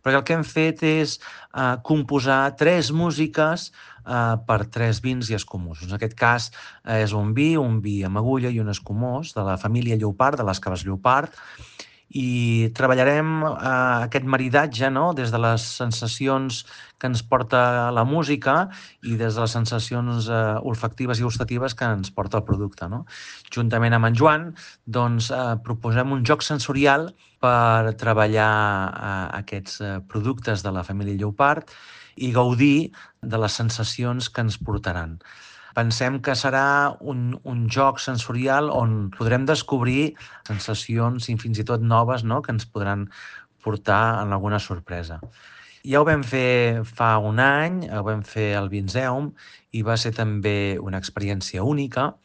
perquè el que hem fet és composar 3 músiques per 3 vins i escumosos. En aquest cas és un vi amb agulla i un escumós de la família Llopart, de les caves Llopart, i treballarem aquest maridatge, no? Des de les sensacions que ens porta la música i des de les sensacions olfactives i gustatives que ens porta el producte, no? Juntament amb en Joan, doncs, proposem un joc sensorial per treballar aquests productes de la família Llopart i gaudir de les sensacions que ens portaran. Pensem que serà un joc sensorial on podrem descobrir sensacions i fins i tot noves, no?, que ens podran portar en alguna sorpresa. Ja ho vam fer fa un any, ho vam fer al Vinzeum i va ser també una experiència única.